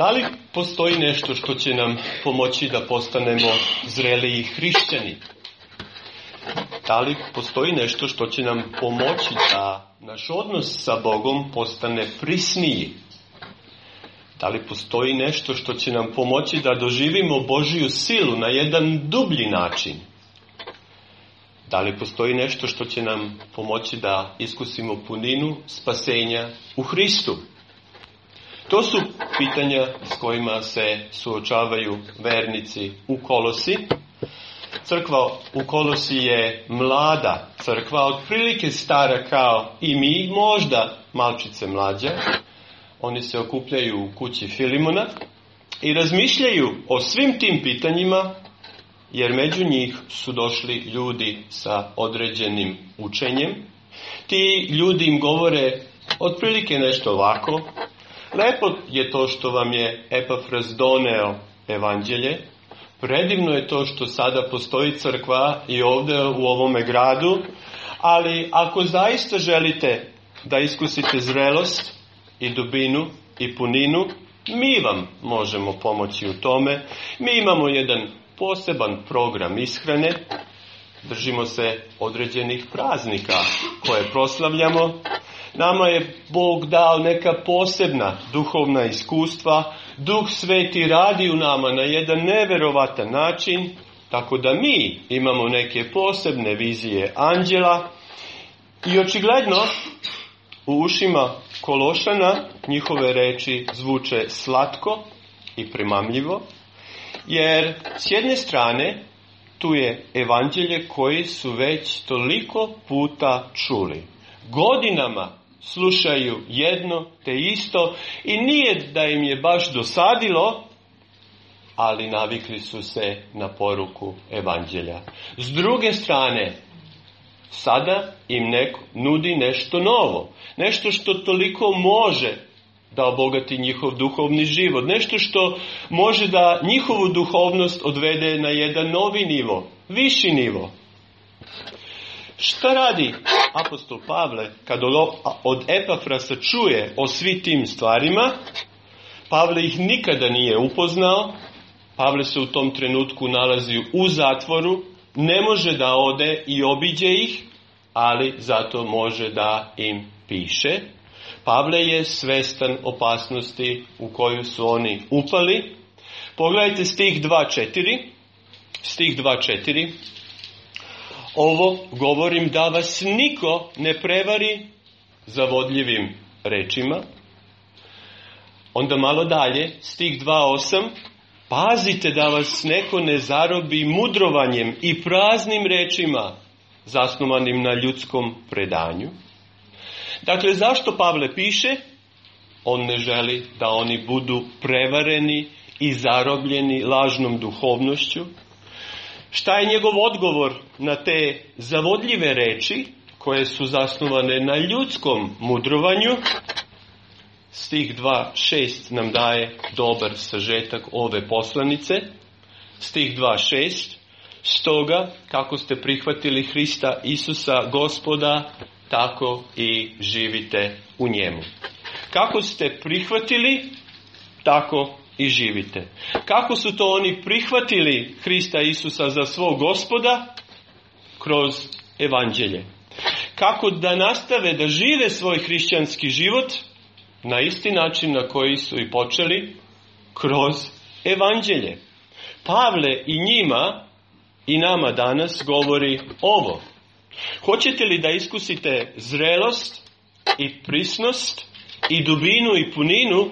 Da li postoji nešto što će nam pomoći da postanemo zreliji hrišćani? Da li postoji nešto što će nam pomoći da naš odnos sa Bogom postane prisniji? Da li postoji nešto što će nam pomoći da doživimo Božiju silu na jedan dublji način? Da li postoji nešto što će nam pomoći da iskusimo puninu spasenja u Hristu? To su pitanja s kojima se suočavaju vernici u Kolosi. Crkva u Kolosi je mlada crkva, otprilike stara kao i mi, možda malčice mlađa. Oni se okupljaju u kući Filimona i razmišljaju o svim tim pitanjima, jer među njih su došli ljudi sa određenim učenjem. Ti ljudi im govore otprilike nešto ovako. Lepo je to što vam je Epafras doneo evanđelje. Predivno je to što sada postoji crkva i ovdje u ovome gradu. Ali ako zaista želite da iskusite zrelost i dubinu i puninu, mi vam možemo pomoći u tome. Mi imamo jedan poseban program ishrane. Držimo se određenih praznika koje proslavljamo. Nama je Bog dao neka posebna duhovna iskustva. Duh Sveti radi u nama na jedan neverovatan način, tako da mi imamo neke posebne vizije anđela. I očigledno u ušima Kološana njihove reči zvuče slatko i primamljivo, jer s jedne strane tu je evanđelje koji su već toliko puta čuli. Godinama slušaju jedno te isto i nije da im je baš dosadilo, ali navikli su se na poruku evanđelja. S druge strane, sada im neko nudi nešto novo, nešto što toliko može da obogati njihov duhovni život, nešto što može da njihovu duhovnost odvede na jedan novi nivo, viši nivo. Šta radi apostol Pavle kad od Epafrasa čuje o svim tim stvarima? Pavle ih nikada nije upoznao. Pavle se u tom trenutku nalazi u zatvoru. Ne može da ode i obiđe ih, ali zato može da im piše. Pavle je svestan opasnosti u koju su oni upali. Pogledajte stih 2.4. Stih 2.4. Ovo govorim da vas niko ne prevari zavodljivim rečima. Onda malo dalje, stih 2.8. Pazite da vas neko ne zarobi mudrovanjem i praznim rečima zasnovanim na ljudskom predanju. Dakle, zašto Pavle piše? On ne želi da oni budu prevareni i zarobljeni lažnom duhovnošću. Šta je njegov odgovor na te zavodljive reči koje su zasnovane na ljudskom mudrovanju? Stih 2.6 nam daje dobar sažetak ove poslanice. Stih 2.6. Stoga, kako ste prihvatili Hrista Isusa Gospoda, tako i živite u njemu. Kako ste prihvatili, tako i živite. Kako su to oni prihvatili Hrista Isusa za svog Gospoda? Kroz evanđelje. Kako da nastave da žive svoj hrišćanski život? Na isti način na koji su i počeli, kroz evanđelje. Pavle i njima i nama danas govori ovo. Hoćete li da iskusite zrelost i prisnost i dubinu i puninu?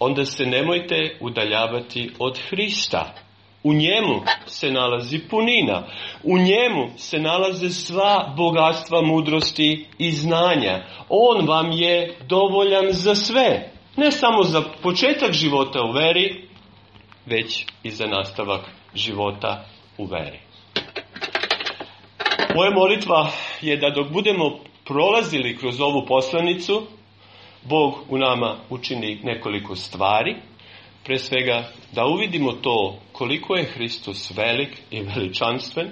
Onda se nemojte udaljavati od Hrista. U njemu se nalazi punina. U njemu se nalaze sva bogatstva mudrosti i znanja. On vam je dovoljan za sve. Ne samo za početak života u veri, već i za nastavak života u veri. Moja molitva je da dok budemo prolazili kroz ovu poslanicu, Bog u nama učini nekoliko stvari. Pre svega da uvidimo to koliko je Hristos velik i veličanstven.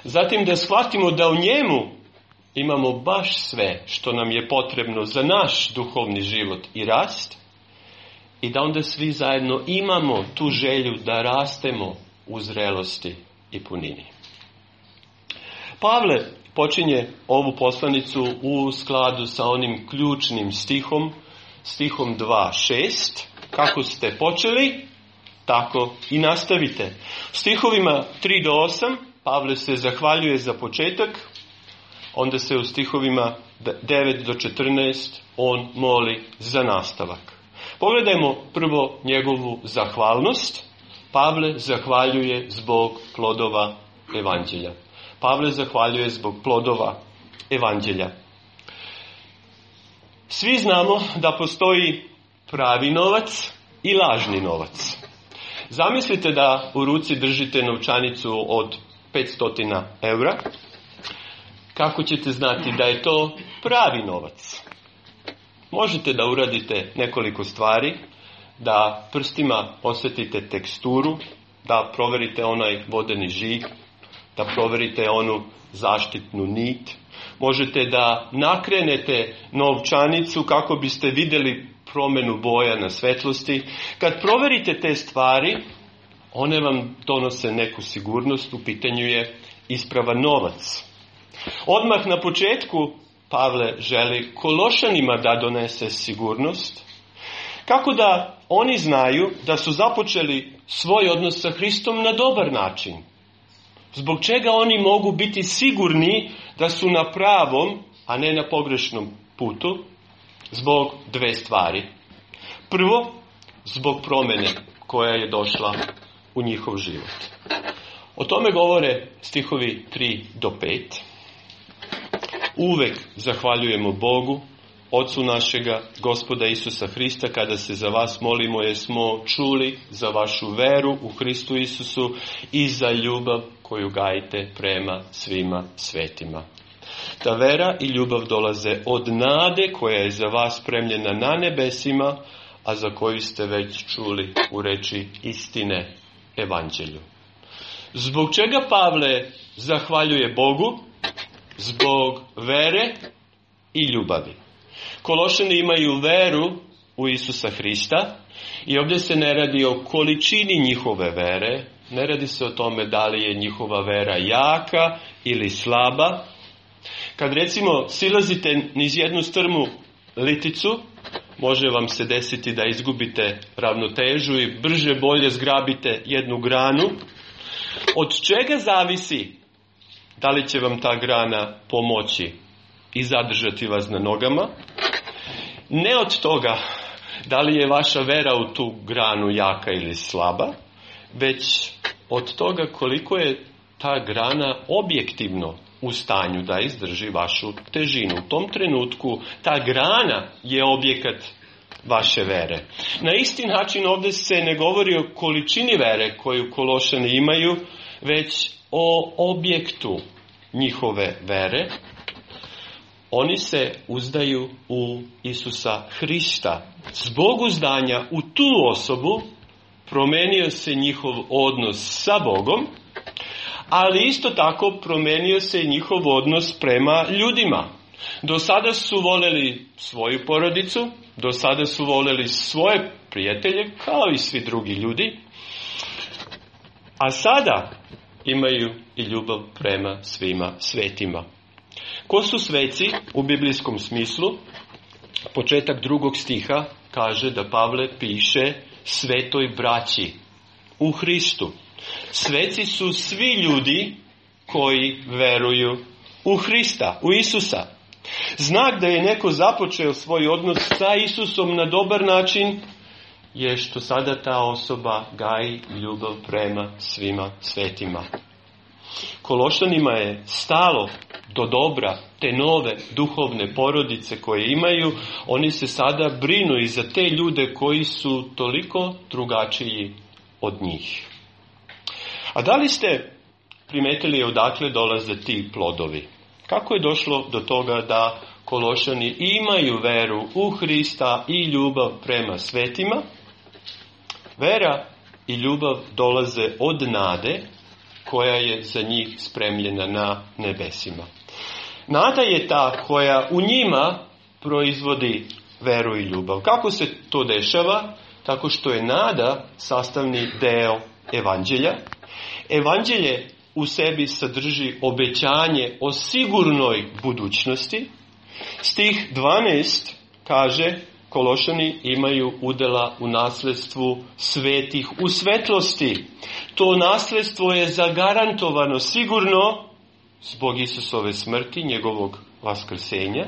Zatim da shvatimo da u njemu imamo baš sve što nam je potrebno za naš duhovni život i rast. i da onda svi zajedno imamo tu želju da rastemo u zrelosti i punini. Pavle počinje ovu poslanicu u skladu sa onim ključnim stihom 2:6. Kako ste počeli, tako i nastavite. U stihovima 3-8 Pavle se zahvaljuje za početak, onda se u stihovima 9-14 on moli za nastavak. Pogledajmo prvo njegovu zahvalnost. Pavle zahvaljuje zbog plodova evanđelja. Pavle zahvaljuje zbog plodova evanđelja. Svi znamo da postoji pravi novac i lažni novac. Zamislite da u ruci držite novčanicu od 500 eura. Kako ćete znati da je to pravi novac? Možete da uradite nekoliko stvari, da prstima osjetite teksturu, da proverite onaj vodeni žig, da proverite onu zaštitnu nit. Možete da nakrenete novčanicu kako biste vidjeli promjenu boja na svetlosti. Kad proverite te stvari, one vam donose neku sigurnost, u pitanju je ispravan novac. Odmah na početku Pavle želi Kološanima da donese sigurnost, kako da oni znaju da su započeli svoj odnos sa Hristom na dobar način. Zbog čega oni mogu biti sigurni da su na pravom, a ne na pogrešnom putu? Zbog dve stvari. Prvo, zbog promjene koja je došla u njihov život. O tome govore stihovi 3-5. Uvek zahvaljujemo Bogu, Otcu našega, Gospoda Isusa Hrista, kada se za vas molimo, jer smo čuli za vašu veru u Hristu Isusu i za ljubav koju gajite prema svima svetima. Ta vera i ljubav dolaze od nade koja je za vas spremljena na nebesima, a za koju ste već čuli u reči istine evanđelju. Zbog čega Pavle zahvaljuje Bogu? Zbog vere i ljubavi. Kološani imaju veru u Isusa Hrista i ovdje se ne radi o količini njihove vere, ne radi se o tome da li je njihova vera jaka ili slaba. Kad recimo silazite niz jednu strmu liticu, može vam se desiti da izgubite ravnotežu i brže bolje zgrabite jednu granu. Od čega zavisi da li će vam ta grana pomoći i zadržati vas na nogama? Ne od toga da li je vaša vera u tu granu jaka ili slaba, već od toga koliko je ta grana objektivno u stanju da izdrži vašu težinu. U tom trenutku ta grana je objekat vaše vere. Na isti način ovdje se ne govori o količini vere koju Kološani imaju, već o objektu njihove vere. Oni se uzdaju u Isusa Hrista. Zbog uzdanja u tu osobu promenio se njihov odnos sa Bogom, ali isto tako promenio se i njihov odnos prema ljudima. Do sada su voljeli svoju porodicu, do sada su voljeli svoje prijatelje, kao i svi drugi ljudi, a sada imaju i ljubav prema svima svetima. Ko su sveci u biblijskom smislu? Početak 2. stiha kaže da Pavle piše svetoj braći u Hristu. Sveci su svi ljudi koji veruju u Hrista, u Isusa. Znak da je neko započeo svoj odnos sa Isusom na dobar način je što sada ta osoba gaji ljubav prema svima svetima. Kološanima je stalo do dobra te nove duhovne porodice koje imaju. Oni se sada brinu i za te ljude koji su toliko drugačiji od njih. A da li ste primetili odakle dolaze ti plodovi? Kako je došlo do toga da Kološani imaju veru u Hrista i ljubav prema svetima? Vera i ljubav dolaze od nade koja je za njih spremljena na nebesima. Nada je ta koja u njima proizvodi veru i ljubav. Kako se to dešava? tako što je nada sastavni deo evanđelja. Evanđelje u sebi sadrži obećanje o sigurnoj budućnosti. Stih 12 kaže: Kološani imaju udjela u nasljedstvu svetih u svetlosti. To nasljedstvo je zagarantovano sigurno zbog Isusove smrti, njegovog vaskrsenja.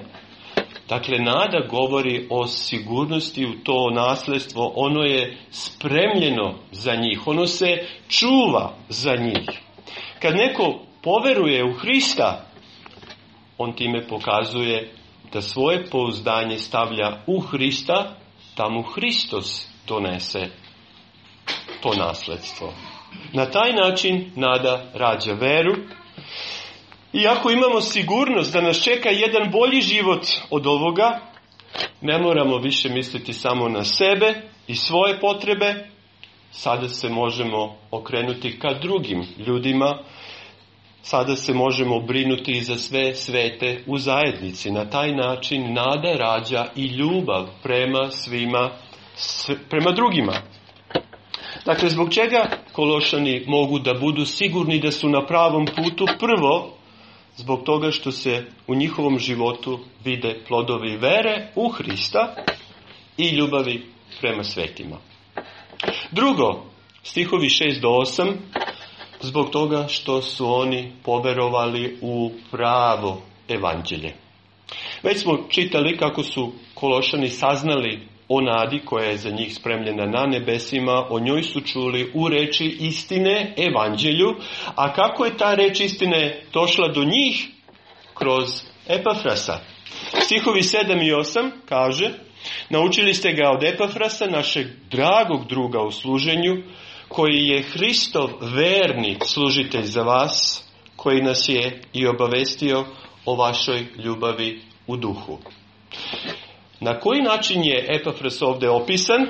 Dakle, nada govori o sigurnosti u to nasljedstvo. Ono je spremljeno za njih. Ono se čuva za njih. Kad neko poveruje u Hrista, on time pokazuje da svoje pouzdanje stavlja u Hrista, da mu Hristos donese to nasljedstvo. Na taj način nada rađa veru. Iako imamo sigurnost da nas čeka jedan bolji život od ovoga, ne moramo više misliti samo na sebe i svoje potrebe. Sada se možemo okrenuti ka drugim ljudima. Sada se možemo brinuti i za sve svete u zajednici. Na taj način nada rađa i ljubav prema svima, prema drugima. Dakle, zbog čega Kološani mogu da budu sigurni da su na pravom putu? Prvo, zbog toga što se u njihovom životu vide plodovi vere u Hrista i ljubavi prema svetima. Drugo, stihovi 6 do 8, zbog toga što su oni poverovali u pravo evanđelje. Već smo čitali kako su Kološani saznali o nadi koja je za njih spremljena na nebesima, o njoj su čuli u reči istine, evanđelju, a kako je ta reč istine došla do njih? Kroz Epafrasa. Stihovi 7 i 8 kaže: Naučili ste ga od Epafrasa, našeg dragog druga u služenju, koji je Hristov verni služitelj za vas, koji nas je i obavestio o vašoj ljubavi u duhu. Na koji način je Epafras ovdje opisan?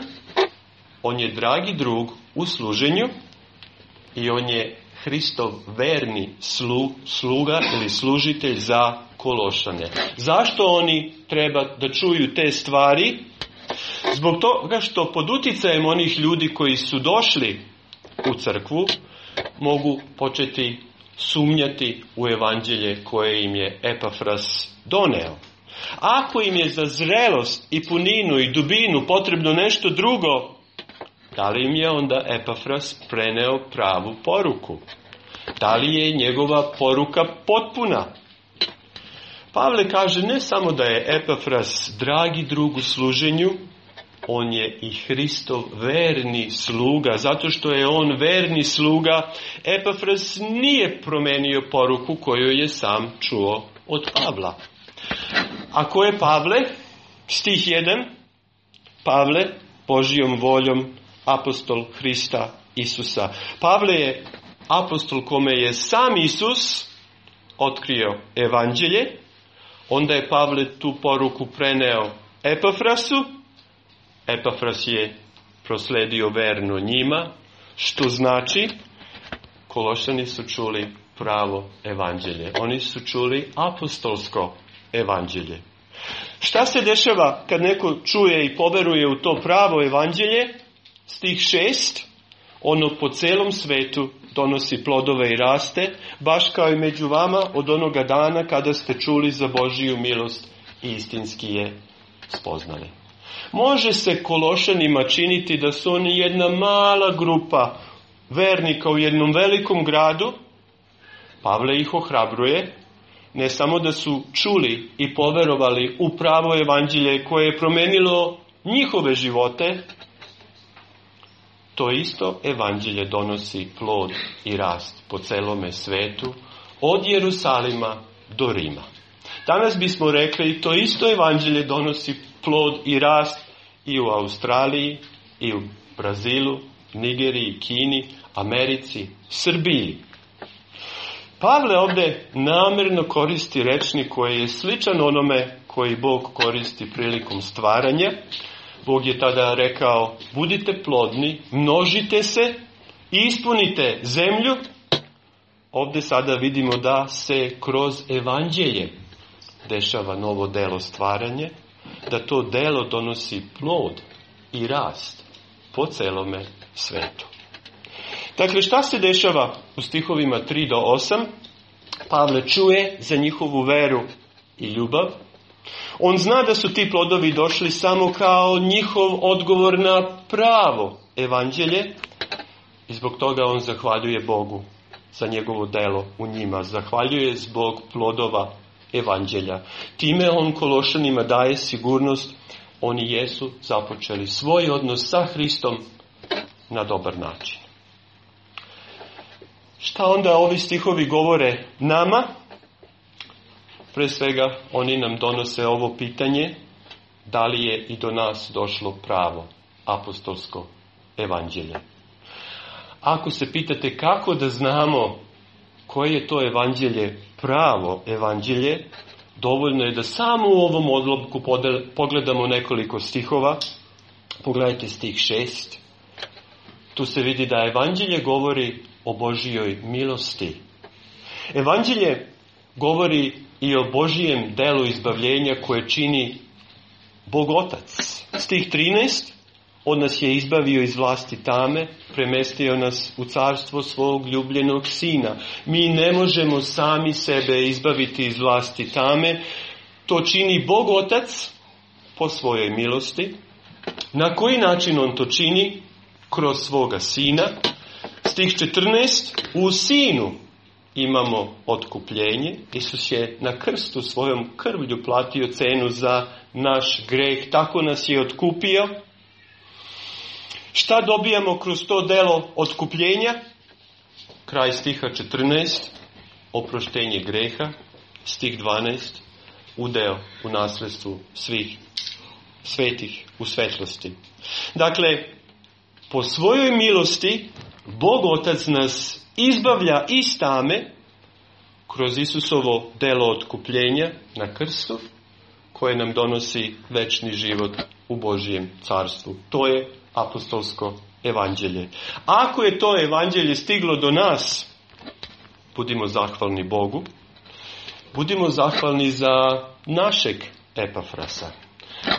On je dragi drug u služenju i on je Hristov verni sluga ili služitelj za Kološane. Zašto oni treba da čuju te stvari? Zbog toga što pod uticajem onih ljudi koji su došli u crkvu mogu početi sumnjati u evanđelje koje im je Epafras doneo. Ako im je za zrelost i puninu i dubinu potrebno nešto drugo, da li im je onda Epafras preneo pravu poruku? Da li je njegova poruka potpuna? Pavle kaže ne samo da je Epafras dragi drug u služenju, on je i Hristov verni sluga. Zato što je on verni sluga, Epafras nije promenio poruku koju je sam čuo od Pavla. A ko je Pavle? Stih 1. Pavle, Božijom voljom, apostol Hrista Isusa. Pavle je apostol kome je sam Isus otkrio evanđelje. Onda je Pavle tu poruku preneo Epafrasu. Epafras je prosledio verno njima, što znači Kološani su čuli pravo evanđelje. Oni su čuli apostolsko evanđelje. Šta se dešava kad neko čuje i poveruje u to pravo evanđelje? Stih 6. Ono po celom svetu donosi plodove i raste, baš kao i među vama od onoga dana kada ste čuli za Božiju milost i istinski je spoznali. Može se Kološanima činiti da su oni jedna mala grupa vernika u jednom velikom gradu. Pavle ih ohrabruje, ne samo da su čuli i poverovali u pravo evanđelje koje je promenilo njihove živote, to isto evanđelje donosi plod i rast po celome svetu, od Jerusalima do Rima. Danas bismo rekli, to isto evanđelje donosi plod i rast i u Australiji, i u Brazilu, Nigeriji, Kini, Americi, Srbiji. Pavle ovdje namjerno koristi rečnik koji je sličan onome koji Bog koristi prilikom stvaranja. Bog je tada rekao, budite plodni, množite se i ispunite zemlju. Ovdje sada vidimo da se kroz evanđelje dešava novo delo stvaranje, da to delo donosi plod i rast. po celome svetu. Dakle, šta se dešava u stihovima 3 do 8? Pavle čuje za njihovu veru i ljubav. On zna da su ti plodovi došli samo kao njihov odgovor na pravo evanđelje i zbog toga on zahvaljuje Bogu za njegovo delo u njima. Zahvaljuje zbog plodova evanđelja. Time on Kološanima daje sigurnost, oni jesu započeli svoj odnos sa Hristom na dobar način. Šta onda ovi stihovi govore nama? Pre svega, oni nam donose ovo pitanje, da li je i do nas došlo pravo apostolsko evanđelje. Ako se pitate kako da znamo koje je to evanđelje pravo evanđelje, dovoljno je da samo u ovom odlomku pogledamo nekoliko stihova. Pogledajte stih 6. Tu se vidi da evanđelje govori o Božijoj milosti. Evanđelje govori i o Božijem delu izbavljenja koje čini Bog Otac. Stih 13. On nas je izbavio iz vlasti tame, premestio nas u carstvo svog ljubljenog Sina. Mi ne možemo sami sebe izbaviti iz vlasti tame. To čini Bog Otac po svojoj milosti. Na koji način on to čini? Kroz svoga Sina. Stih 14. U Sinu imamo otkupljenje. Isus je na krstu svojom krvlju platio cenu za naš greh. Tako nas je otkupio. Šta dobijamo kroz to delo otkupljenja? Kraj stiha 14. Oproštenje greha. Stih 12. Udeo u nasledstvu svih svetih u svetlosti. Dakle, po svojoj milosti Bog Otac nas izbavlja iz tame kroz Isusovo delo otkupljenja na krstu, koje nam donosi večni život u Božijem carstvu. To je apostolsko evanđelje. Ako je to evanđelje stiglo do nas, budimo zahvalni Bogu. Budimo zahvalni za našeg Epafrasa.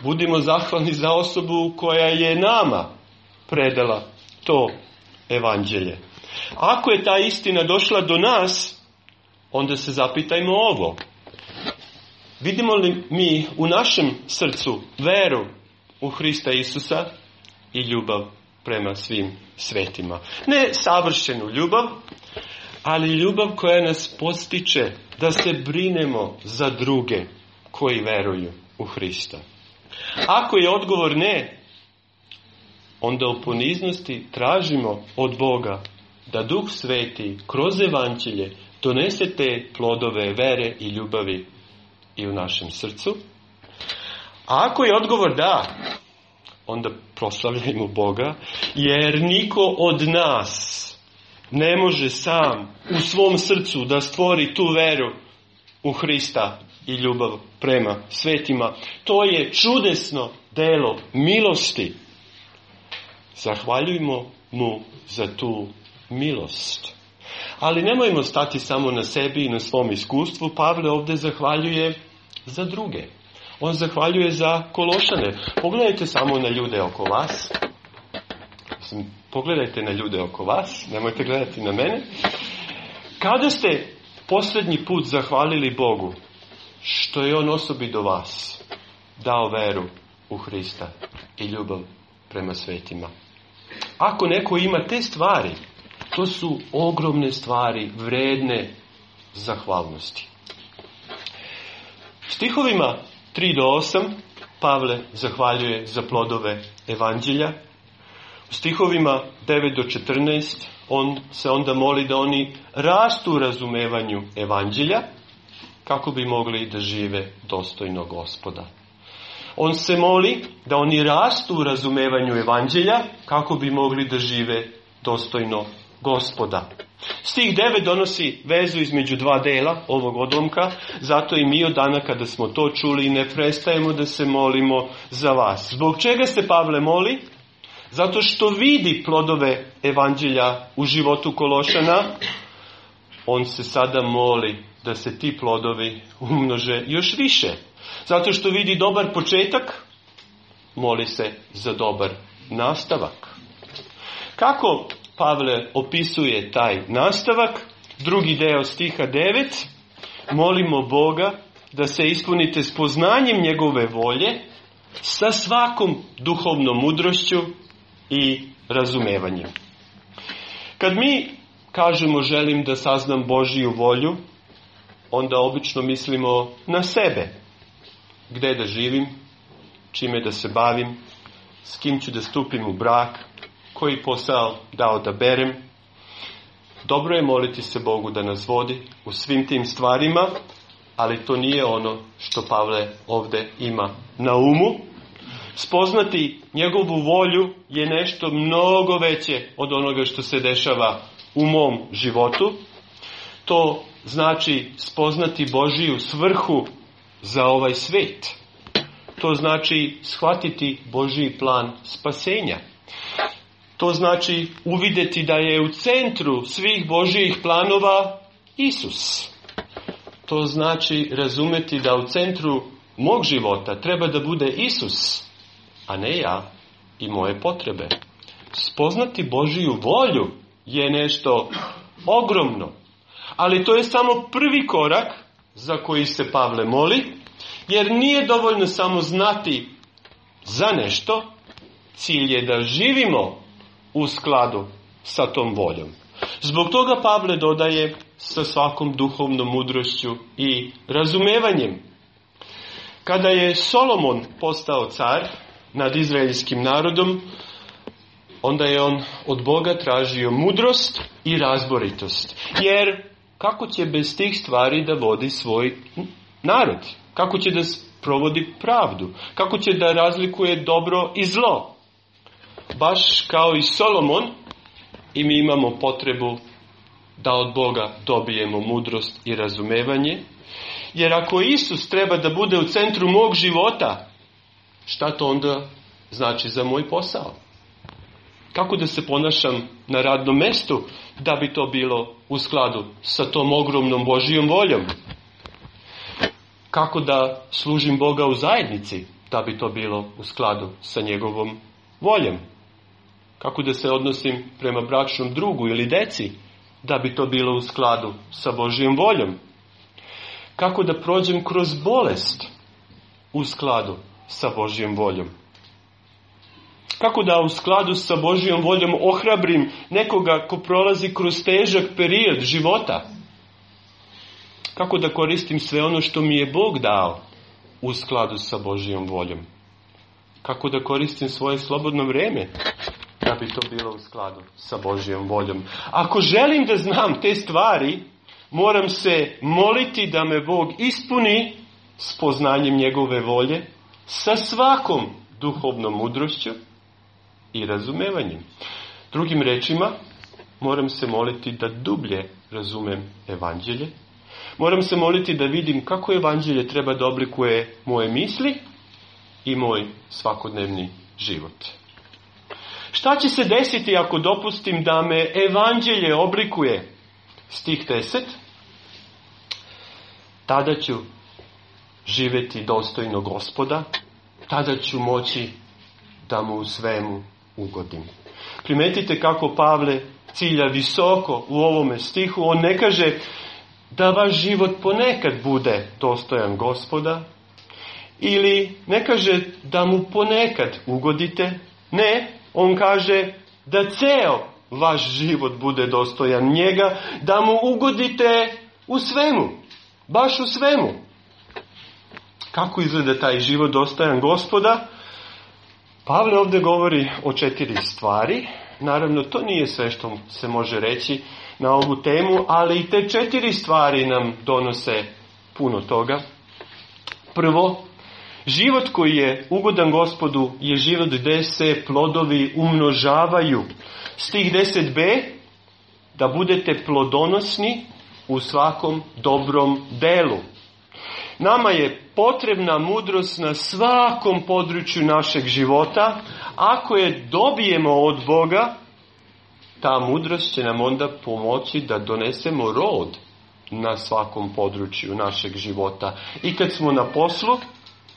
Budimo zahvalni za osobu koja je nama predala to evanđelje. Ako je ta istina došla do nas, onda se zapitajmo ovo. Vidimo li mi u našem srcu veru u Hrista Isusa i ljubav prema svim svetima? Ne savršenu ljubav, ali ljubav koja nas podstiče da se brinemo za druge koji veruju u Hrista. Ako je odgovor ne, onda u poniznosti tražimo od Boga da Duh Sveti kroz evanđelje donese te plodove vere i ljubavi i u našem srcu. A ako je odgovor da, onda proslavljajmo Boga, jer niko od nas ne može sam u svom srcu da stvori tu veru u Hrista i ljubav prema svetima. To je čudesno delo milosti. Zahvaljujmo mu za tu milost. Ali nemojmo stati samo na sebi i na svom iskustvu. Pavle ovdje zahvaljuje za druge. On zahvaljuje za Kološane. Pogledajte samo na ljude oko vas. Pogledajte na ljude oko vas. Nemojte gledati na mene. Kada ste posljednji put zahvalili Bogu što je on osobi do vas dao veru u Hrista i ljubav prema svetima? Ako neko ima te stvari, to su ogromne stvari, vredne zahvalnosti. Stihovima 3 do 8 Pavle zahvaljuje za plodove evanđelja. U stihovima 9 do 14 on se onda moli da oni rastu u razumevanju evanđelja kako bi mogli da žive dostojno Gospoda. On se moli da oni rastu u razumevanju evanđelja kako bi mogli da žive dostojno Gospoda. Stih 9 donosi vezu između dva dela ovog odlomka, zato i mi od dana kada smo to čuli ne prestajemo da se molimo za vas. Zbog čega se Pavle moli? Zato što vidi plodove evanđelja u životu Kološana. On se sada moli da se ti plodovi umnože još više. Zato što vidi dobar početak, moli se za dobar nastavak. Kako Pavle opisuje taj nastavak? Drugi deo stiha 9. Molimo Boga da se ispunite s poznanjem njegove volje, sa svakom duhovnom mudrošću i razumevanjem. Kad mi kažemo želim da saznam Božiju volju, onda obično mislimo na sebe. Gde da živim, čime da se bavim, s kim ću da stupim u brak, koji posao da odaberem. Dobro je moliti se Bogu da nas vodi u svim tim stvarima, ali to nije ono što Pavle ovdje ima na umu. Spoznati njegovu volju je nešto mnogo veće od onoga što se dešava u mom životu. To znači spoznati Božiju svrhu za ovaj svet. To znači shvatiti Božji plan spasenja. To znači uvidjeti da je u centru svih Božjih planova Isus. To znači razumjeti da u centru mog života treba da bude Isus, a ne ja i moje potrebe. Spoznati Božju volju je nešto ogromno. Ali to je samo prvi korak za koji se Pavle moli, jer nije dovoljno samo znati za nešto, cilj je da živimo u skladu sa tom voljom. Zbog toga Pavle dodaje sa svakom duhovnom mudrošću i razumevanjem. Kada je Solomon postao car nad izraelskim narodom, onda je on od Boga tražio mudrost i razboritost. Jer kako će bez tih stvari da vodi svoj narod? Kako će da provodi pravdu? Kako će da razlikuje dobro i zlo? Baš kao i Solomon, i mi imamo potrebu da od Boga dobijemo mudrost i razumevanje. Jer ako Isus treba da bude u centru mog života, šta to onda znači za moj posao? Kako da se ponašam na radnom mestu da bi to bilo u skladu sa tom ogromnom Božijom voljom? Kako da služim Boga u zajednici da bi to bilo u skladu sa njegovom voljom? Kako da se odnosim prema bračnom drugu ili deci da bi to bilo u skladu sa Božijom voljom? Kako da prođem kroz bolest u skladu sa Božijom voljom? Kako da u skladu sa Božijom voljom ohrabrim nekoga ko prolazi kroz težak period života? Kako da koristim sve ono što mi je Bog dao u skladu sa Božijom voljom? Kako da koristim svoje slobodno vrijeme da bi to bilo u skladu sa Božijom voljom? Ako želim da znam te stvari, moram se moliti da me Bog ispuni s poznanjem njegove volje, sa svakom duhovnom mudrošću i razumevanjem. Drugim rečima, moram se moliti da dublje razumem evanđelje. Moram se moliti da vidim kako evanđelje treba da oblikuje moje misli i moj svakodnevni život. Šta će se desiti ako dopustim da me evanđelje oblikuje? Stih 10. Tada ću živjeti dostojno Gospoda, tada ću moći da mu u svemu ugodim. Primetite kako Pavle cilja visoko u ovome stihu. On ne kaže da vaš život ponekad bude dostojan Gospoda, ili ne kaže da mu ponekad ugodite. Ne, on kaže da ceo vaš život bude dostojan njega, da mu ugodite u svemu, baš u svemu. Kako izgleda taj život dostojan Gospoda? Pavle ovdje govori o 4 stvari. Naravno, to nije sve što se može reći na ovu temu, ali i te 4 stvari nam donose puno toga. Prvo, život koji je ugodan Gospodu je život gdje se plodovi umnožavaju. Stih 10b, da budete plodonosni u svakom dobrom delu. Nama je potrebna mudrost na svakom području našeg života. Ako je dobijemo od Boga, ta mudrost će nam onda pomoći da donesemo rod na svakom području našeg života. I kad smo na poslu,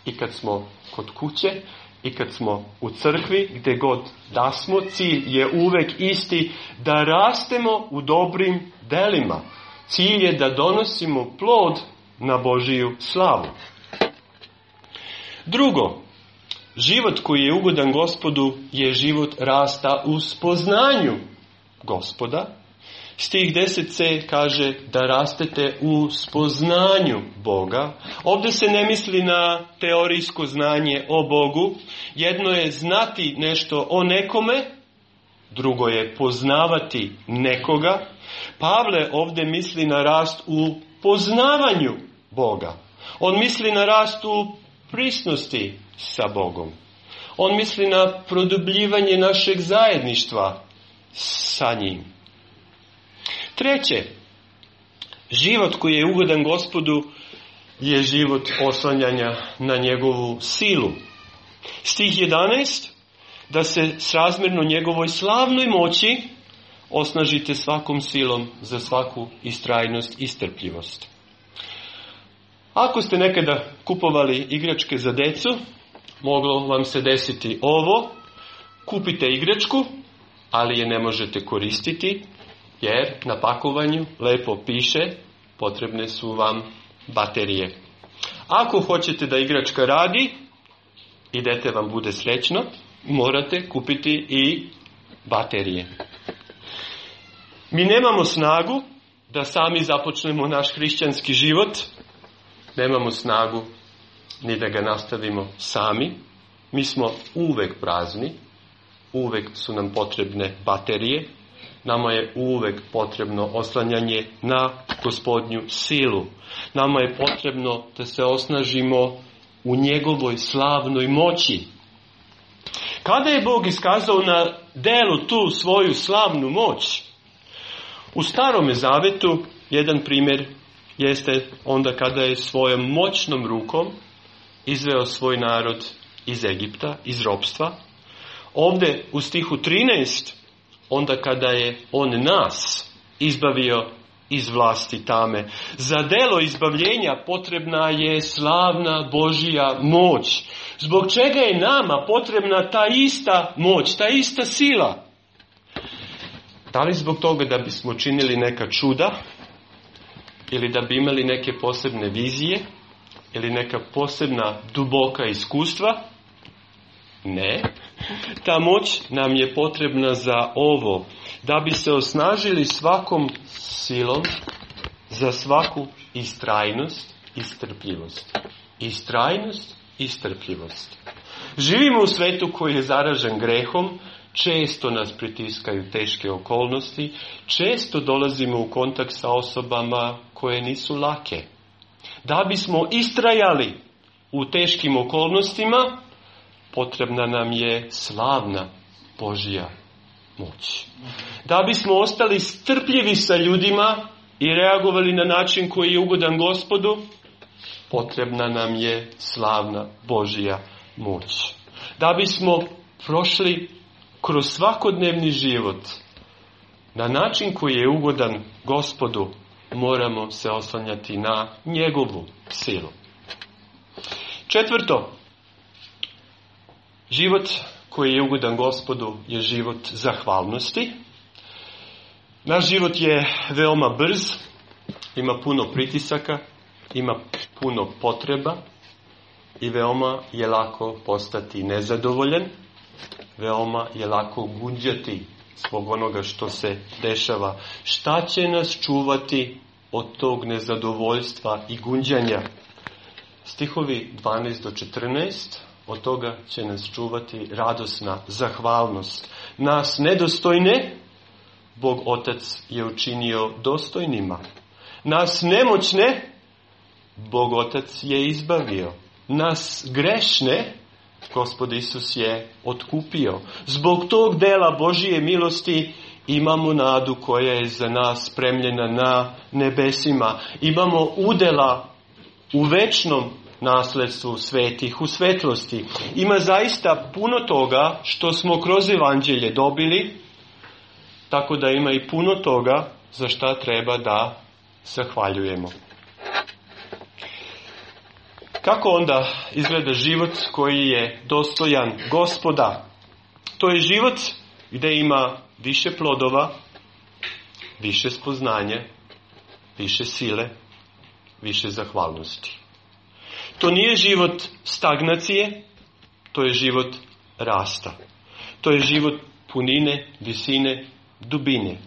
i kad smo kod kuće, i kad smo u crkvi, gdje god da smo, cilj je uvek isti, da rastemo u dobrim delima. Cilj je da donosimo plod na Božiju slavu. Drugo, život koji je ugodan Gospodu je život rasta u spoznanju Gospoda. Stih 10c kaže da rastete u spoznanju Boga. Ovdje se ne misli na teorijsko znanje o Bogu. Jedno je znati nešto o nekome, drugo je poznavati nekoga. Pavle ovdje misli na rast u poznavanju Boga. On misli na rast u prisnosti sa Bogom. On misli na produbljivanje našeg zajedništva sa njim. Treće, život koji je ugodan Gospodu je život oslanjanja na njegovu silu. Stih 11, da se srazmjerno njegovoj slavnoj moći osnažite svakom silom za svaku istrajnost i strpljivost. Ako ste nekada kupovali igračke za decu, moglo vam se desiti ovo: kupite igračku, ali je ne možete koristiti, jer na pakovanju lepo piše potrebne su vam baterije. Ako hoćete da igračka radi i dete vam bude srećno, morate kupiti i baterije. Mi nemamo snagu da sami započnemo naš hrišćanski život, nemamo snagu ni da ga nastavimo sami. Mi smo uvek prazni, uvek su nam potrebne baterije, nama je uvek potrebno oslanjanje na Gospodnju silu. Nama je potrebno da se osnažimo u njegovoj slavnoj moći. Kada je Bog iskazao na delu tu svoju slavnu moć? U Starome Zavetu jedan primjer jeste onda kada je svojom moćnom rukom izveo svoj narod iz Egipta, iz ropstva. Ovdje u stihu 13, onda kada je on nas izbavio iz vlasti tame. Za delo izbavljenja potrebna je slavna Božja moć. Zbog čega je nama potrebna ta ista moć, ta ista sila? Da li zbog toga da bismo činili neka čuda, ili da bi imali neke posebne vizije, ili neka posebna duboka iskustva? Ne. Ta moć nam je potrebna za ovo, da bi se osnažili svakom silom za svaku istrajnost i strpljivost. Istrajnost i strpljivost. Živimo u svetu koji je zaražen grehom, često nas pritiskaju teške okolnosti, često dolazimo u kontakt sa osobama koje nisu lake. Da bismo istrajali u teškim okolnostima, potrebna nam je slavna Božja moć. Da bismo ostali strpljivi sa ljudima i reagovali na način koji je ugodan Gospodu, potrebna nam je slavna Božja moć. Da bismo prošli kroz svakodnevni život na način koji je ugodan Gospodu, moramo se oslanjati na njegovu silu. Četvrto, život koji je ugodan Gospodu je život zahvalnosti. Naš život je veoma brz, ima puno pritisaka, ima puno potreba i veoma je lako postati nezadovoljan, veoma je lako gunđati zbog onoga što se dešava. Šta će nas čuvati od tog nezadovoljstva i gunđanja? Stihovi 12 do 14, od toga će nas čuvati radosna zahvalnost. Nas nedostojne, Bog Otac je učinio dostojnima. Nas nemoćne, Bog Otac je izbavio. Nas grešne, Gospod Isus je otkupio. Zbog tog dela Božije milosti imamo nadu koja je za nas spremljena na nebesima. Imamo udjela u večnom nasledstvu svetih, u svetlosti. Ima zaista puno toga što smo kroz evanđelje dobili, tako da ima i puno toga za šta treba da zahvaljujemo. Kako onda izgleda život koji je dostojan Gospoda? To je život gdje ima više plodova, više spoznanja, više sile, više zahvalnosti. To nije život stagnacije, to je život rasta. To je život punine, visine, dubine.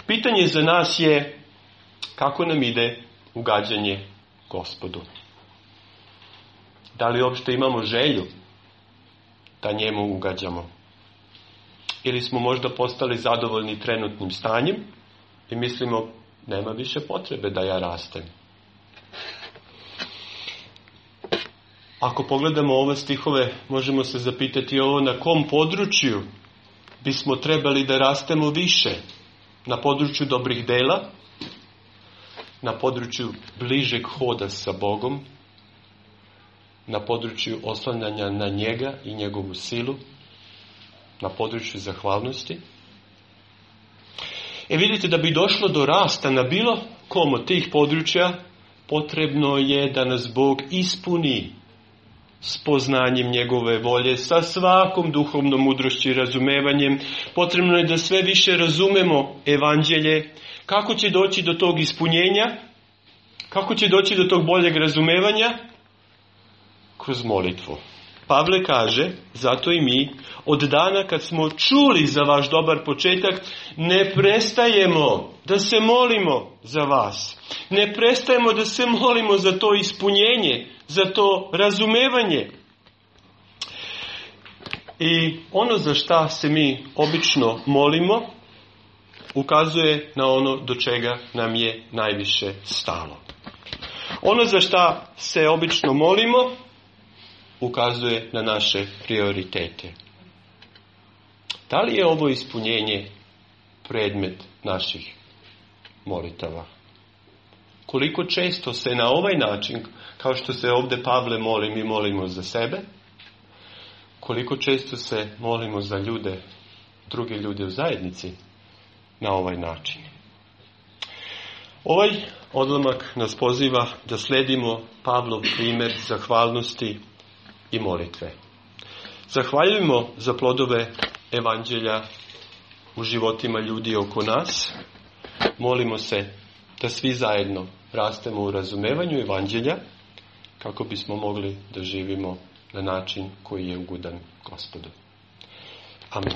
Pitanje za nas je kako nam ide ugađanje Gospodu. Da li uopšte imamo želju da njemu ugađamo? Ili smo možda postali zadovoljni trenutnim stanjem i mislimo nema više potrebe da ja rastem. Ako pogledamo ove stihove, možemo se zapitati ovo na kom području bismo trebali da rastemo više. Na području dobrih dela, na području bližeg hoda sa Bogom, na području oslanjanja na njega i njegovu silu, na području zahvalnosti. Vidite, da bi došlo do rasta na bilo kom od tih područja, potrebno je da nas Bog ispuni spoznanjem njegove volje, sa svakom duhovnom mudrošću i razumevanjem. Potrebno je da sve više razumemo evanđelje. Kako će doći do tog ispunjenja? Kako će doći do tog boljeg razumevanja? Kroz molitvu. Pavle kaže, zato i mi, od dana kad smo čuli za vaš dobar početak, ne prestajemo da se molimo za vas. Ne prestajemo da se molimo za to ispunjenje, za to razumevanje. I ono za šta se mi obično molimo, ukazuje na ono do čega nam je najviše stalo. Ono za šta se obično molimo, ukazuje na naše prioritete. Da li je ovo ispunjenje predmet naših molitava? Koliko često se na ovaj način, kao što se ovdje Pavle moli, mi molimo za sebe, koliko često se molimo za ljude, druge ljude u zajednici na ovaj način. Ovaj odlomak nas poziva da sledimo Pavlov primjer zahvalnosti i molitve. Zahvaljujemo za plodove evanđelja u životima ljudi oko nas. Molimo se da svi zajedno rastemo u razumevanju evanđelja kako bismo mogli da živimo na način koji je ugodan Gospodu.